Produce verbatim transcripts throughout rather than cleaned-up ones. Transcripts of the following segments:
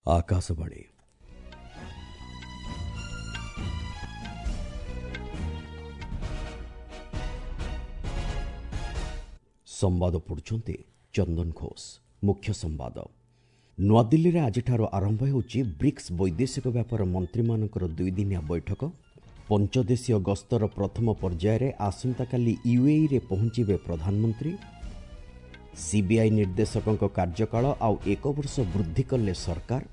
ଆକାଶବାଣୀ ସମ୍ବାଦ ପଢ଼ୁଛନ୍ତି ଚନ୍ଦନ ଘୋଷ। ମୁଖ୍ୟ ସମ୍ବାଦ। ନୂଆଦିଲ୍ଲୀରେ ଆଜିଠାରୁ ଆରମ୍ଭ ହେଉଛି ବ୍ରିକ୍ସ ବୈଦେଶିକ ବ୍ୟାପାର ମନ୍ତ୍ରୀମାନଙ୍କର ଦୁଇଦିନିଆ ବୈଠକ। ପଞ୍ଚଦେଶୀୟ ଗସ୍ତର ପ୍ରଥମ ପର୍ଯ୍ୟାୟରେ ଆସନ୍ତାକାଲି ୟୁଏଇରେ ପହଞ୍ଚିବେ ପ୍ରଧାନମନ୍ତ୍ରୀ। ସିବିଆଇ ନିର୍ଦ୍ଦେଶକଙ୍କ କାର୍ଯ୍ୟକାଳ ଆଉ ଏକ ବର୍ଷ ବୃଦ୍ଧି କଲେ ସରକାର।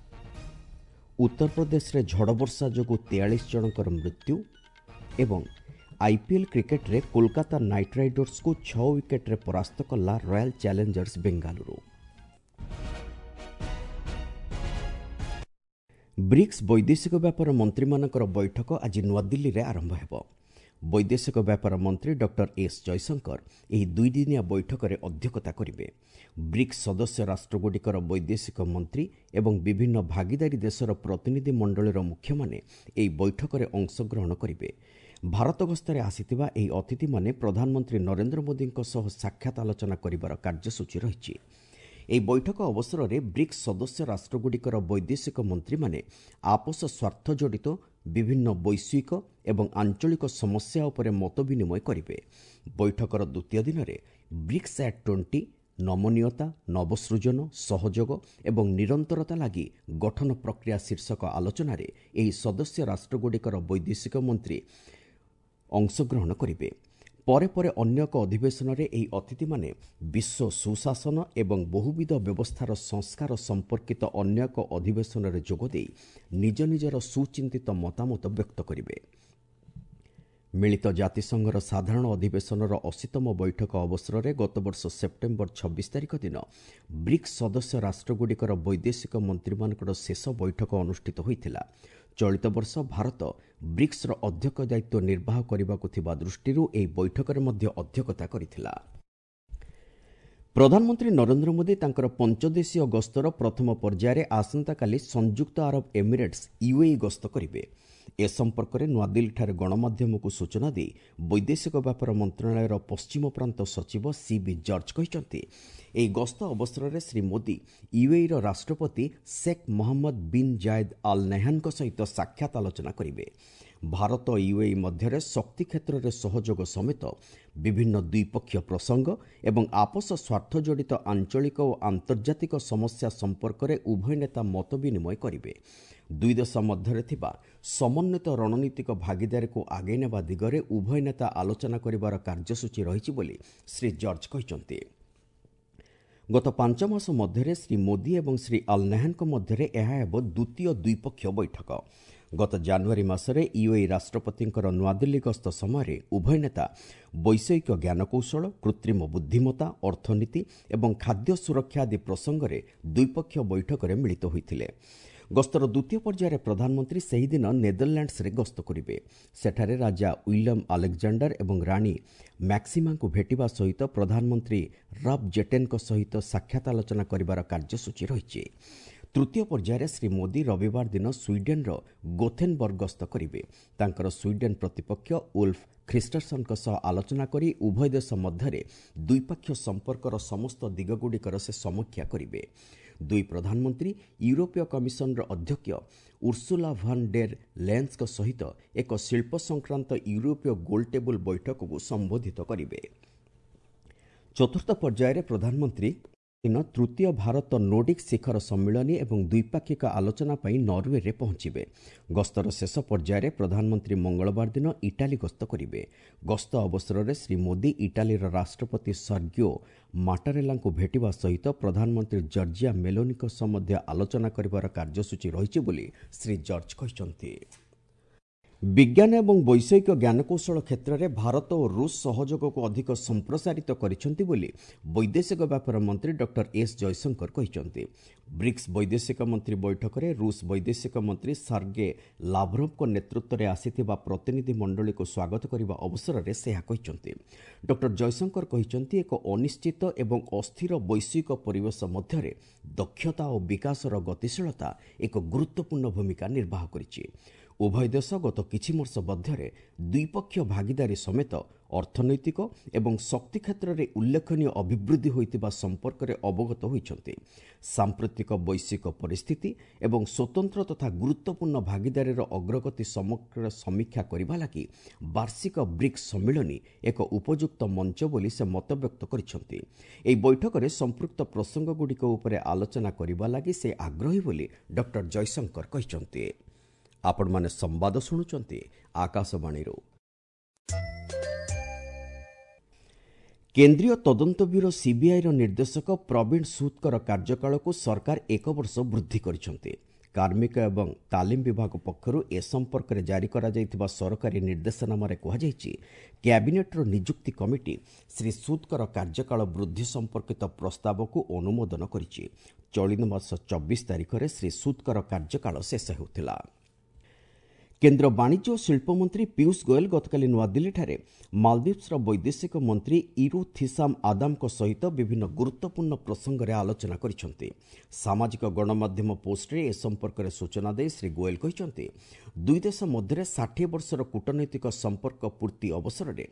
ଉତ୍ତରପ୍ରଦେଶରେ ଝଡ଼ବର୍ଷା ଯୋଗୁଁ ତେୟାଳିଶ ଜଣଙ୍କର ମୃତ୍ୟୁ ଏବଂ ଆଇପିଏଲ୍ କ୍ରିକେଟରେ କୋଲକାତା ନାଇଟ୍ ରାଇଡର୍ସକୁ ଛଅ ୱିକେଟରେ ପରାସ୍ତ କଲା ରୟାଲ ଚ୍ୟାଲେଞ୍ଜର୍ସ ବେଙ୍ଗାଲୁରୁ। ବ୍ରିକ୍ସ ବୈଦେଶିକ ବ୍ୟାପାର ମନ୍ତ୍ରୀମାନଙ୍କର ବୈଠକ ଆଜି ନୂଆଦିଲ୍ଲୀରେ ଆରମ୍ଭ ହେବ। ବୈଦେଶିକ ବ୍ୟାପାର ମନ୍ତ୍ରୀ ଡକ୍ଟର ଏସ୍ ଜୟଶଙ୍କର ଏହି ଦୁଇଦିନିଆ ବୈଠକରେ ଅଧ୍ୟକ୍ଷତା କରିବେ। ବ୍ରିକ୍ସ ସଦସ୍ୟ ରାଷ୍ଟ୍ରଗୁଡ଼ିକର ବୈଦେଶିକ ମନ୍ତ୍ରୀ ଏବଂ ବିଭିନ୍ନ ଭାଗିଦାରୀ ଦେଶର ପ୍ରତିନିଧି ମଣ୍ଡଳୀର ମୁଖ୍ୟମାନେ ଏହି ବୈଠକରେ ଅଂଶଗ୍ରହଣ କରିବେ। ଭାରତ ଗସ୍ତରେ ଆସିଥିବା ଏହି ଅତିଥିମାନେ ପ୍ରଧାନମନ୍ତ୍ରୀ ନରେନ୍ଦ୍ର ମୋଦିଙ୍କ ସହ ସାକ୍ଷାତ ଆଲୋଚନା କରିବାର କାର୍ଯ୍ୟସୂଚୀ ରହିଛି। ଏହି ବୈଠକ ଅବସରରେ ବ୍ରିକ୍ସ ସଦସ୍ୟ ରାଷ୍ଟ୍ରଗୁଡ଼ିକର ବୈଦେଶିକ ମନ୍ତ୍ରୀମାନେ ଆପୋଷ ସ୍ୱାର୍ଥ ଜଡ଼ିତ ବିଭିନ୍ନ ବୈଶ୍ୱିକ ଏବଂ ଆଞ୍ଚଳିକ ସମସ୍ୟା ଉପରେ ମତ ବିନିମୟ କରିବେ। ବୈଠକର ଦ୍ୱିତୀୟ ଦିନରେ ବ୍ରିକ୍ସ ଆଟ୍ ଟ୍ୱେଣ୍ଟି ନମନୀୟତା, ନବସୃଜନ, ସହଯୋଗ ଏବଂ ନିରନ୍ତରତା ଲାଗି ଗଠନ ପ୍ରକ୍ରିୟା ଶୀର୍ଷକ ଆଲୋଚନାରେ ଏହି ସଦସ୍ୟ ରାଷ୍ଟ୍ରଗୁଡ଼ିକର ବୈଦେଶିକ ମନ୍ତ୍ରୀ ଅଂଶଗ୍ରହଣ କରିବେ। ପରେ ପରେ ଅନ୍ୟ ଏକ ଅଧିବେଶନରେ ଏହି ଅତିଥିମାନେ ବିଶ୍ୱ ସୁଶାସନ ଏବଂ ବହୁବିଧ ବ୍ୟବସ୍ଥାର ସଂସ୍କାର ସମ୍ପର୍କିତ ଅନ୍ୟ ଏକ ଅଧିବେଶନରେ ଯୋଗଦେଇ ନିଜ ନିଜର ସୁଚିନ୍ତିତ ମତାମତ ବ୍ୟକ୍ତ କରିବେ। ମିଳିତ ଜାତିସଂଘର ସାଧାରଣ ଅଧିବେଶନର ଅଶୀତମ ବୈଠକ ଅବସରରେ ଗତବର୍ଷ ସେପ୍ଟେମ୍ବର ଛବିଶ ତାରିଖ ଦିନ ବ୍ରିକ୍ସ ସଦସ୍ୟ ରାଷ୍ଟ୍ରଗୁଡ଼ିକର ବୈଦେଶିକ ମନ୍ତ୍ରୀମାନଙ୍କର ଶେଷ ବୈଠକ ଅନୁଷ୍ଠିତ ହୋଇଥିଲା। ଚଳିତ ବର୍ଷ ଭାରତ ବ୍ରିକ୍ସର ଅଧ୍ୟକ୍ଷ ଦାୟିତ୍ୱ ନିର୍ବାହ କରିବାକୁ ଥିବା ଦୃଷ୍ଟିରୁ ଏହି ବୈଠକରେ ମଧ୍ୟ ଅଧ୍ୟକ୍ଷତା କରିଥିଲା। ପ୍ରଧାନମନ୍ତ୍ରୀ ନରେନ୍ଦ୍ର ମୋଦି ତାଙ୍କର ପଞ୍ଚଦେଶୀୟ ଗସ୍ତର ପ୍ରଥମ ପର୍ଯ୍ୟାୟରେ ଆସନ୍ତାକାଲି ସଂଯୁକ୍ତ ଆରବ ଏମିରେଟ୍ସ ୟୁଏଇ ଗସ୍ତ କରିବେ। ଏ ସମ୍ପର୍କରେ ନୂଆଦିଲ୍ଲୀଠାରେ ଗଣମାଧ୍ୟମକୁ ସୂଚନା ଦେଇ ବୈଦେଶିକ ବ୍ୟାପାର ମନ୍ତ୍ରଣାଳୟର ପଶ୍ଚିମ ପ୍ରାନ୍ତ ସଚିବ ସି ବି ଜର୍ଜ କହିଛନ୍ତି, ଏହି ଗସ୍ତ ଅବସରରେ ଶ୍ରୀ ମୋଦି ୟୁଏଇର ରାଷ୍ଟ୍ରପତି Sheikh Mohammed bin Zayed Al ନେହାନଙ୍କ ସହିତ ସାକ୍ଷାତ ଆଲୋଚନା କରିବେ। ଭାରତ ୟୁଏଇ ମଧ୍ୟରେ ଶକ୍ତି କ୍ଷେତ୍ରରେ ସହଯୋଗ ସମେତ ବିଭିନ୍ନ ଦ୍ୱିପକ୍ଷୀୟ ପ୍ରସଙ୍ଗ ଏବଂ ଆପୋଷ ସ୍ୱାର୍ଥ ଜଡ଼ିତ ଆଞ୍ଚଳିକ ଓ ଆନ୍ତର୍ଜାତିକ ସମସ୍ୟା ସମ୍ପର୍କରେ ଉଭୟ ନେତା ମତ ବିନିମୟ କରିବେ। ଦୁଇ ଦେଶ ମଧ୍ୟରେ ଥିବା ସମନ୍ୱିତ ରଣନୀତିକ ଭାଗିଦାରୀକୁ ଆଗେଇ ନେବା ଦିଗରେ ଉଭୟ ନେତା ଆଲୋଚନା କରିବାର କାର୍ଯ୍ୟସୂଚୀ ରହିଛି ବୋଲି ଶ୍ରୀ ଜର୍ଜ କହିଛନ୍ତି। ଗତ ପାଞ୍ଚ ମାସ ମଧ୍ୟରେ ଶ୍ରୀ ମୋଦି ଏବଂ ଶ୍ରୀ ଅଲ୍ ନେହାନଙ୍କ ମଧ୍ୟରେ ଏହା ହେବ ଦ୍ୱିତୀୟ ଦ୍ୱିପକ୍ଷୀୟ ବୈଠକ। ଗତ ଜାନୁଆରୀ ମାସରେ ୟୁଏଇ ରାଷ୍ଟ୍ରପତିଙ୍କର ନୂଆଦିଲ୍ଲୀ ଗସ୍ତ ସମୟରେ ଉଭୟ ନେତା ବୈଷୟିକ ଜ୍ଞାନକୌଶଳ, କୃତ୍ରିମ ବୁଦ୍ଧିମତ୍ତା, ଅର୍ଥନୀତି ଏବଂ ଖାଦ୍ୟ ସୁରକ୍ଷା ଆଦି ପ୍ରସଙ୍ଗରେ ଦ୍ୱିପକ୍ଷୀୟ ବୈଠକରେ ମିଳିତ ହୋଇଥିଲେ। ଗସ୍ତର ଦ୍ୱିତୀୟ ପର୍ଯ୍ୟାୟରେ ପ୍ରଧାନମନ୍ତ୍ରୀ ସେହିଦିନ ନେଦରଲ୍ୟାଣ୍ଡସରେ ଗସ୍ତ କରିବେ। ସେଠାରେ ରାଜା ୱିଲିୟମ୍ ଆଲେକ୍ଜାଣ୍ଡାର ଏବଂ ରାଣୀ ମ୍ୟାକ୍ସିମାଙ୍କୁ ଭେଟିବା ସହିତ ପ୍ରଧାନମନ୍ତ୍ରୀ ରବ୍ ଜେଟେନ୍ଙ୍କ ସହିତ ସାକ୍ଷାତ ଆଲୋଚନା କରିବାର କାର୍ଯ୍ୟସୂଚୀ ରହିଛି। ତୃତୀୟ ପର୍ଯ୍ୟାୟରେ ଶ୍ରୀ ମୋଦି ରବିବାର ଦିନ ସ୍ୱିଡେନ୍ର ଗୋଥେନବର୍ଗ ଗସ୍ତ କରିବେ। ତାଙ୍କର ସ୍ୱିଡେନ୍ ପ୍ରତିପକ୍ଷ ଉଲ୍ଫ ଖ୍ରୀଷ୍ଟରସନଙ୍କ ସହ ଆଲୋଚନା କରି ଉଭୟ ଦେଶ ମଧ୍ୟରେ ଦ୍ୱିପକ୍ଷୀୟ ସମ୍ପର୍କର ସମସ୍ତ ଦିଗଗୁଡ଼ିକର ସେ ସମୀକ୍ଷା କରିବେ। ଦୁଇ ପ୍ରଧାନମନ୍ତ୍ରୀ ୟୁରୋପୀୟ କମିଶନର ଅଧ୍ୟକ୍ଷ ଉର୍ସୁଲା ଭାନ୍ ଡେର୍ ଲେନ୍ସଙ୍କ ସହିତ ଏକ ଶିଳ୍ପ ସଂକ୍ରାନ୍ତ ୟୁରୋପୀୟ ଗୋଲଟେବୁଲ ବୈଠକକୁ ସମ୍ବୋଧିତ କରିବେ। ଚତୁର୍ଥ ପର୍ଯ୍ୟାୟରେ ପ୍ରଧାନମନ୍ତ୍ରୀ ଦିନ ତୃତୀୟ ଭାରତ ନୋର୍ଡିକ୍ ଶିଖର ସମ୍ମିଳନୀ ଏବଂ ଦ୍ୱିପାକ୍ଷିକ ଆଲୋଚନା ପାଇଁ ନରୱେରେ ପହଞ୍ଚିବେ। ଗସ୍ତର ଶେଷ ପର୍ଯ୍ୟାୟରେ ପ୍ରଧାନମନ୍ତ୍ରୀ ମଙ୍ଗଳବାର ଦିନ ଇଟାଲୀ ଗସ୍ତ କରିବେ। ଗସ୍ତ ଅବସରରେ ଶ୍ରୀ ମୋଦି ଇଟାଲୀର ରାଷ୍ଟ୍ରପତି ସର୍ଗିଓ ମାଟାରେଲାଙ୍କୁ ଭେଟିବା ସହିତ ପ୍ରଧାନମନ୍ତ୍ରୀ ଜର୍ଜିଆ ମେଲୋନିଙ୍କ ସହ ମଧ୍ୟ ଆଲୋଚନା କରିବାର କାର୍ଯ୍ୟସୂଚୀ ରହିଛି ବୋଲି ଶ୍ରୀ ଜର୍ଜ କହିଛନ୍ତି। ବିଜ୍ଞାନ ଏବଂ ବୈଷୟିକ ଜ୍ଞାନକୌଶଳ କ୍ଷେତ୍ରରେ ଭାରତ ଓ ରୁଷ ସହଯୋଗକୁ ଅଧିକ ସମ୍ପ୍ରସାରିତ କରିଛନ୍ତି ବୋଲି ବୈଦେଶିକ ବ୍ୟାପାର ମନ୍ତ୍ରୀ ଡକ୍ଟର ଏସ୍ ଜୟଶଙ୍କର କହିଛନ୍ତି। ବ୍ରିକ୍ସ ବୈଦେଶିକ ମନ୍ତ୍ରୀ ବୈଠକରେ ରୁଷ ବୈଦେଶିକ ମନ୍ତ୍ରୀ ସାର୍ଗେ ଲାଭରୋଭଙ୍କ ନେତୃତ୍ୱରେ ଆସିଥିବା ପ୍ରତିନିଧି ମଣ୍ଡଳୀକୁ ସ୍ୱାଗତ କରିବା ଅବସରରେ ସେ ଏହା କହିଛନ୍ତି। ଡକ୍ଟର ଜୟଶଙ୍କର କହିଛନ୍ତି, ଏକ ଅନିଶ୍ଚିତ ଏବଂ ଅସ୍ଥିର ବୈଶ୍ୱିକ ପରିବେଶ ମଧ୍ୟରେ ଦକ୍ଷତା ଓ ବିକାଶର ଗତିଶୀଳତା ଏକ ଗୁରୁତ୍ୱପୂର୍ଣ୍ଣ ଭୂମିକା ନିର୍ବାହ କରିଛି। ଉଭୟ ଦେଶ ଗତ କିଛି ବର୍ଷ ମଧ୍ୟରେ ଦ୍ୱିପକ୍ଷୀୟ ଭାଗିଦାରୀ ସମେତ ଅର୍ଥନୈତିକ ଏବଂ ଶକ୍ତି କ୍ଷେତ୍ରରେ ଉଲ୍ଲେଖନୀୟ ଅଭିବୃଦ୍ଧି ହୋଇଥିବା ସମ୍ପର୍କରେ ଅବଗତ ହୋଇଛନ୍ତି। ସାମ୍ପ୍ରତିକ ବୈଶ୍ୱିକ ପରିସ୍ଥିତି ଏବଂ ସ୍ୱତନ୍ତ୍ର ତଥା ଗୁରୁତ୍ୱପୂର୍ଣ୍ଣ ଭାଗିଦାରୀର ଅଗ୍ରଗତି ସମଗ୍ର ସମୀକ୍ଷା କରିବା ଲାଗି ବାର୍ଷିକ ବ୍ରିକ୍ସ ସମ୍ମିଳନୀ ଏକ ଉପଯୁକ୍ତ ମଞ୍ଚ ବୋଲି ସେ ମତବ୍ୟକ୍ତ କରିଛନ୍ତି। ଏହି ବୈଠକରେ ସମ୍ପୃକ୍ତ ପ୍ରସଙ୍ଗଗୁଡ଼ିକ ଉପରେ ଆଲୋଚନା କରିବା ଲାଗି ସେ ଆଗ୍ରହୀ ବୋଲି ଡକ୍ଟର ଜୟଶଙ୍କର କହିଛନ୍ତି। ଆପଣମାନେ ସମ୍ବାଦ ଶୁଣୁଛନ୍ତି ଆକାଶବାଣୀରୁ। କେନ୍ଦ୍ରୀୟ ତଦନ୍ତ ବ୍ୟୁରୋ ସିବିଆଇର ନିର୍ଦ୍ଦେଶକ ପ୍ରବୀଣ ସୁଦଙ୍କର କାର୍ଯ୍ୟକାଳକୁ ସରକାର ଏକ ବର୍ଷ ବୃଦ୍ଧି କରିଛନ୍ତି। କାର୍ମିକ ଏବଂ ତାଲିମ ବିଭାଗ ପକ୍ଷରୁ ଏ ସମ୍ପର୍କରେ ଜାରି କରାଯାଇଥିବା ସରକାରୀ ନିର୍ଦ୍ଦେଶନାମାରେ କୁହାଯାଇଛି, କ୍ୟାବିନେଟ୍ର ନିଯୁକ୍ତି କମିଟି ଶ୍ରୀ ସୁଦଙ୍କର କାର୍ଯ୍ୟକାଳ ବୃଦ୍ଧି ସମ୍ପର୍କିତ ପ୍ରସ୍ତାବକୁ ଅନୁମୋଦନ କରିଛି। ଚଳିତ ମାସ ଚବିଶ ତାରିଖରେ ଶ୍ରୀ ସୁଦଙ୍କର କାର୍ଯ୍ୟକାଳ ଶେଷ ହେଉଥିଲା। କେନ୍ଦ୍ର ବାଣିଜ୍ୟ ଓ ଶିଳ୍ପମନ୍ତ୍ରୀ ପୀୟୁଷ ଗୋଏଲ ଗତକାଲି ନୂଆଦିଲ୍ଲୀଠାରେ ମାଲଦ୍ୱୀପ୍ସର ବୈଦେଶିକ ମନ୍ତ୍ରୀ ଇରୁ ଥିସାମ ଆଦାମଙ୍କ ସହିତ ବିଭିନ୍ନ ଗୁରୁତ୍ୱପୂର୍ଣ୍ଣ ପ୍ରସଙ୍ଗରେ ଆଲୋଚନା କରିଛନ୍ତି। ସାମାଜିକ ଗଣମାଧ୍ୟମ ପୋଷ୍ଟରେ ଏ ସମ୍ପର୍କରେ ସୂଚନା ଦେଇ ଶ୍ରୀ ଗୋଏଲ କହିଛନ୍ତି, ଦୁଇ ଦେଶ ମଧ୍ୟରେ ଷାଠିଏ ବର୍ଷର କୂଟନୈତିକ ସମ୍ପର୍କ ପୂର୍ତ୍ତି ଅବସରରେ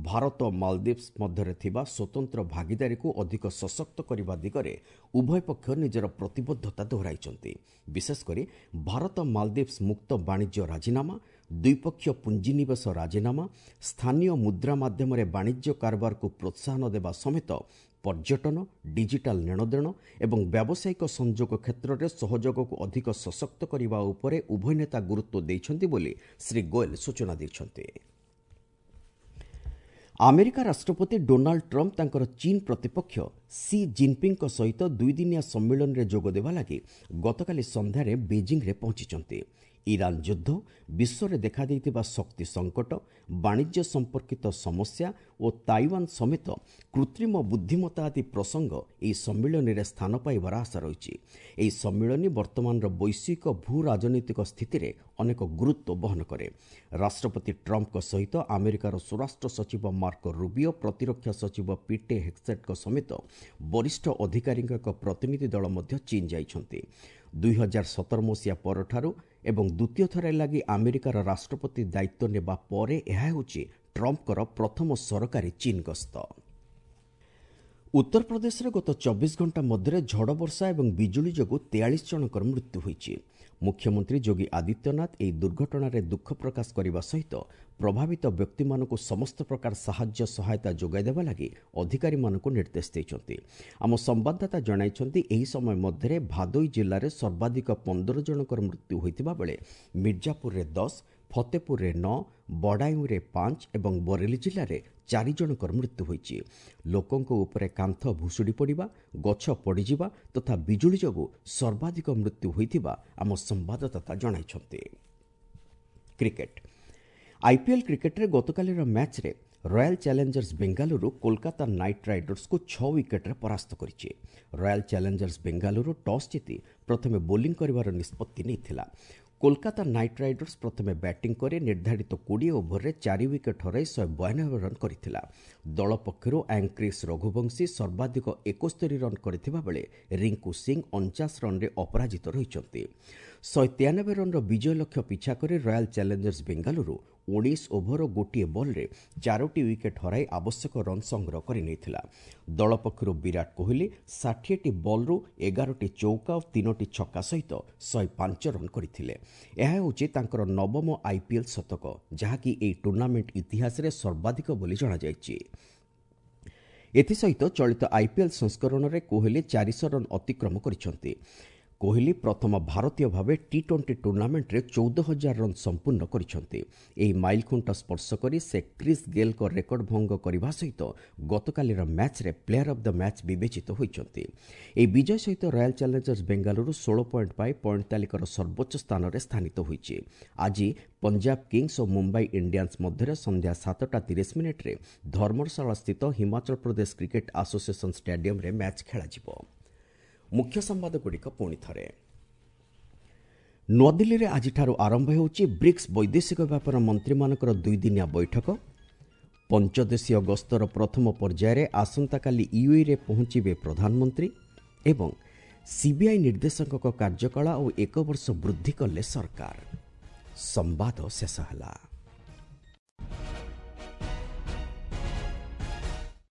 ଭାରତ ଓ ମାଲଦ୍ୱୀପ୍ସ ମଧ୍ୟରେ ଥିବା ସ୍ୱତନ୍ତ୍ର ଭାଗିଦାରୀକୁ ଅଧିକ ସଶକ୍ତ କରିବା ଦିଗରେ ଉଭୟ ପକ୍ଷ ନିଜର ପ୍ରତିବଦ୍ଧତା ଦୋହରାଇଛନ୍ତି। ବିଶେଷକରି ଭାରତ ମାଲଦ୍ୱୀପ୍ସ ମୁକ୍ତ ବାଣିଜ୍ୟ ରାଜିନାମା, ଦ୍ୱିପକ୍ଷୀୟ ପୁଞ୍ଜିନିବେଶ ରାଜିନାମା, ସ୍ଥାନୀୟ ମୁଦ୍ରା ମାଧ୍ୟମରେ ବାଣିଜ୍ୟ କାରବାରକୁ ପ୍ରୋତ୍ସାହନ ଦେବା ସମେତ ପର୍ଯ୍ୟଟନ, ଡିଜିଟାଲ ନେଣଦେଣ ଏବଂ ବ୍ୟାବସାୟିକ ସଂଯୋଗ କ୍ଷେତ୍ରରେ ସହଯୋଗକୁ ଅଧିକ ସଶକ୍ତ କରିବା ଉପରେ ଉଭୟ ନେତା ଗୁରୁତ୍ୱ ଦେଇଛନ୍ତି ବୋଲି ଶ୍ରୀ ଗୋଏଲ ସୂଚନା ଦେଇଛନ୍ତି। ଆମେରିକା ରାଷ୍ଟ୍ରପତି ଡୋନାଲ୍ଡ ଟ୍ରମ୍ପ ତାଙ୍କର ଚୀନ୍ ପ୍ରତିପକ୍ଷ ସି ଜିନ୍ପିଙ୍ଗଙ୍କ ସହିତ ଦୁଇଦିନିଆ ସମ୍ମିଳନୀରେ ଯୋଗଦେବା ଲାଗି ଗତକାଲି ସନ୍ଧ୍ୟାରେ ବେଜିଂରେ ପହଞ୍ଚିଛନ୍ତି। ଇରାନ ଯୁଦ୍ଧ, ବିଶ୍ୱରେ ଦେଖାଦେଇଥିବା ଶକ୍ତି ସଙ୍କଟ, ବାଣିଜ୍ୟ ସମ୍ପର୍କିତ ସମସ୍ୟା ଓ ତାଇୱାନ ସମେତ କୃତ୍ରିମ ବୁଦ୍ଧିମତ୍ତା ଆଦି ପ୍ରସଙ୍ଗ ଏହି ସମ୍ମିଳନୀରେ ସ୍ଥାନ ପାଇବାର ଆଶା ରହିଛି। ଏହି ସମ୍ମିଳନୀ ବର୍ତ୍ତମାନର ବୈଶ୍ୱିକ ଭୂ ରାଜନୈତିକ ସ୍ଥିତିରେ ଅନେକ ଗୁରୁତ୍ୱ ବହନ କରେ। ରାଷ୍ଟ୍ରପତି ଟ୍ରମ୍ପଙ୍କ ସହିତ ଆମେରିକାର ସ୍ୱରାଷ୍ଟ୍ର ସଚିବ ମାର୍କୋ ରୁବିଓ, ପ୍ରତିରକ୍ଷା ସଚିବ ପିଟେ ହେକ୍ସେଟଙ୍କ ସମେତ ବରିଷ୍ଠ ଅଧିକାରୀଙ୍କ ଏକ ପ୍ରତିନିଧି ଦଳ ମଧ୍ୟ ଚୀନ୍ ଯାଇଛନ୍ତି। ଦୁଇ ହଜାର ସତର ମସିହା ପରଠାରୁ ଏବଂ ଦ୍ୱିତୀୟ ଥର ଲାଗି ଆମେରିକାର ରାଷ୍ଟ୍ରପତି ଦାୟିତ୍ୱ ନେବା ପରେ ଏହା ହେଉଛି ଟ୍ରମ୍ପଙ୍କର ପ୍ରଥମ ସରକାରୀ ଚୀନ୍ ଗସ୍ତ। ଉତ୍ତରପ୍ରଦେଶରେ ଗତ ଚବିଶ ଘଣ୍ଟା ମଧ୍ୟରେ ଝଡ଼ ବର୍ଷା ଏବଂ ବିଜୁଳି ଯୋଗୁଁ ତେୟାଳିଶ ଜଣଙ୍କର ମୃତ୍ୟୁ ହୋଇଛି। ମୁଖ୍ୟମନ୍ତ୍ରୀ ଯୋଗୀ ଆଦିତ୍ୟନାଥ ଏହି ଦୁର୍ଘଟଣାରେ ଦୁଃଖ ପ୍ରକାଶ କରିବା ସହିତ ପ୍ରଭାବିତ ବ୍ୟକ୍ତିମାନଙ୍କୁ ସମସ୍ତ ପ୍ରକାର ସାହାଯ୍ୟ ସହାୟତା ଯୋଗାଇ ଦେବା ଲାଗି ଅଧିକାରୀମାନଙ୍କୁ ନିର୍ଦ୍ଦେଶ ଦେଇଛନ୍ତି। ଆମ ସମ୍ବାଦଦାତା ଜଣାଇଛନ୍ତି, ଏହି ସମୟ ମଧ୍ୟରେ ଭାଦୋଇ ଜିଲ୍ଲାରେ ସର୍ବାଧିକ ପନ୍ଦର ଜଣଙ୍କର ମୃତ୍ୟୁ ହୋଇଥିବା ବେଳେ ମିର୍ଜାପୁରରେ ଦଶ, ଫତେପୁରରେ ନଅ, ବଡ଼ାୟୁଁରେ ପାଞ୍ଚ ଏବଂ ବରେଲି ଜିଲ୍ଲାରେ ଚାରି ଜଣଙ୍କର ମୃତ୍ୟୁ ହୋଇଛି। ଲୋକଙ୍କ ଉପରେ କାନ୍ଥ ଭୁଶୁଡ଼ି ପଡ଼ିବା, ଗଛ ପଡ଼ିଯିବା ତଥା ବିଜୁଳି ଯୋଗୁଁ ସର୍ବାଧିକ ମୃତ୍ୟୁ ହୋଇଥିବା ଆମ ସମ୍ବାଦଦାତା ଜଣାଇଛନ୍ତି। କ୍ରିକେଟ ଆଇପିଏଲ୍ କ୍ରିକେଟରେ ଗତକାଲିର ମ୍ୟାଚ୍ରେ royal challengers Bengaluru Kolkata knight ରାଇଡର୍ସକୁ ଛଅ ୱିକେଟ୍ରେ ପରାସ୍ତ କରିଛି। ରୟାଲ ଚ୍ୟାଲେଞ୍ଜର୍ସ ବେଙ୍ଗାଲୁରୁ ଟସ୍ ଜିତି ପ୍ରଥମେ ବୋଲିଂ କରିବାର ନିଷ୍ପତ୍ତି ନେଇଥିଲା। କୋଲକାତା ନାଇଟ୍ ରାଇଡର୍ସ ପ୍ରଥମେ ବ୍ୟାଟିଂ କରି ନିର୍ଦ୍ଧାରିତ କୋଡ଼ିଏ ଓଭରରେ ଚାରି ୱିକେଟ୍ ହରାଇ ଶହେ ବୟାନବେ ରନ୍ କରିଥିଲା। ଦଳ ପକ୍ଷରୁ ଆଙ୍କ୍ରିସ୍ ରଘୁବଂଶୀ ସର୍ବାଧିକ ଏକସ୍ତରୀ ରନ୍ କରିଥିବା ବେଳେ ରିଙ୍କୁ ସିଂ ଅଣଚାଶ ରନ୍ରେ ଅପରାଜିତ ରହିଛନ୍ତି। ଶହେ ତେୟାନବେ ରନ୍ର ବିଜୟ ଲକ୍ଷ୍ୟ ପିଛା କରି ରୟାଲ ଚ୍ୟାଲେଞ୍ଜର୍ସ ବେଙ୍ଗାଲୁରୁ ଉଣେଇଶ ଓଭର ଗୋଟିଏ ବଲ୍ରେ ଚାରୋଟି ୱିକେଟ୍ ହରାଇ ଆବଶ୍ୟକ ରନ୍ ସଂଗ୍ରହ କରିନେଇଥିଲା। ଦଳ ପକ୍ଷରୁ ବିରାଟ କୋହଲି ଷାଠିଏଟି ବଲ୍ରୁ ଏଗାରଟି ଚୌକା ଓ ତିନୋଟି ଛକା ସହିତ ଶହେ ପାଞ୍ଚ ରନ୍ କରିଥିଲେ। ଏହା ହେଉଛି ତାଙ୍କର ନବମ ଆଇପିଏଲ୍ ଶତକ, ଯାହାକି ଏହି ଟୁର୍ଣ୍ଣାମେଣ୍ଟ ଇତିହାସରେ ସର୍ବାଧିକ ବୋଲି ଜଣାଯାଇଛି। ଏଥିସହିତ ଚଳିତ ଆଇପିଏଲ୍ ସଂସ୍କରଣରେ କୋହଲି ଚାରିଶହ ରନ୍ ଅତିକ୍ରମ କରିଛନ୍ତି। କୋହଲି ପ୍ରଥମ ଭାରତୀୟ ଭାବେ ଟି ଟ୍ୱେଣ୍ଟି ଟୁର୍ଣ୍ଣାମେଣ୍ଟରେ ଚଉଦ ହଜାର ରନ୍ ସମ୍ପୂର୍ଣ୍ଣ କରିଛନ୍ତି। ଏହି ମାଇଲଖୁଣ୍ଟ ସ୍ପର୍ଶ କରି ସେ କ୍ରିସ୍ ଗେଲ୍ଙ୍କ ରେକର୍ଡ ଭଙ୍ଗ କରିବା ସହିତ ଗତକାଲିର ମ୍ୟାଚ୍ରେ ପ୍ଲେୟାର ଅଫ୍ the match ବିବେଚିତ ହୋଇଛନ୍ତି। ଏହି ବିଜୟ ସହିତ ରୟାଲ ଚ୍ୟାଲେଞ୍ଜର୍ସ ବେଙ୍ଗାଲୁରୁ ଷୋହଳ ପଏଣ୍ଟ ପାଇ ପଏଣ୍ଟ ତାଲିକାର ସର୍ବୋଚ୍ଚ ସ୍ଥାନରେ ସ୍ଥାନିତ ହୋଇଛି। ଆଜି ପଞ୍ଜାବ କିଙ୍ଗସ୍ ଓ ମୁମ୍ବାଇ ଇଣ୍ଡିଆନ୍ସ ମଧ୍ୟରେ ସନ୍ଧ୍ୟା ସାତଟା ତିରିଶ ମିନିଟ୍ରେ ଧର୍ମଶାଳାସ୍ଥିତ ହିମାଚଳ ପ୍ରଦେଶ କ୍ରିକେଟ ଆସୋସିଏସନ୍ ଷ୍ଟାଡିୟମରେ ମ୍ୟାଚ୍ ଖେଳାଯିବ। ମୁଖ୍ୟ ସମ୍ବାଦଗୁଡ଼ିକ ପୁଣି ଥରେ। ନୂଆଦିଲ୍ଲୀରେ ଆଜିଠାରୁ ଆରମ୍ଭ ହେଉଛି ବ୍ରିକ୍ସ ବୈଦେଶିକ ବ୍ୟାପାର ମନ୍ତ୍ରୀମାନଙ୍କର ଦୁଇଦିନିଆ ବୈଠକ। ପଞ୍ଚଦେଶୀୟ ଗସ୍ତର ପ୍ରଥମ ପର୍ଯ୍ୟାୟରେ ଆସନ୍ତାକାଲି ୟୁଏଇରେ ପହଞ୍ଚିବେ ପ୍ରଧାନମନ୍ତ୍ରୀ ଏବଂ ସିବିଆଇ ନିର୍ଦ୍ଦେଶକଙ୍କ କାର୍ଯ୍ୟକାଳ ଆଉ ଏକ ବର୍ଷ ବୃଦ୍ଧି କଲେ ସରକାର। ସମ୍ବାଦ ଶେଷ ହେଲା।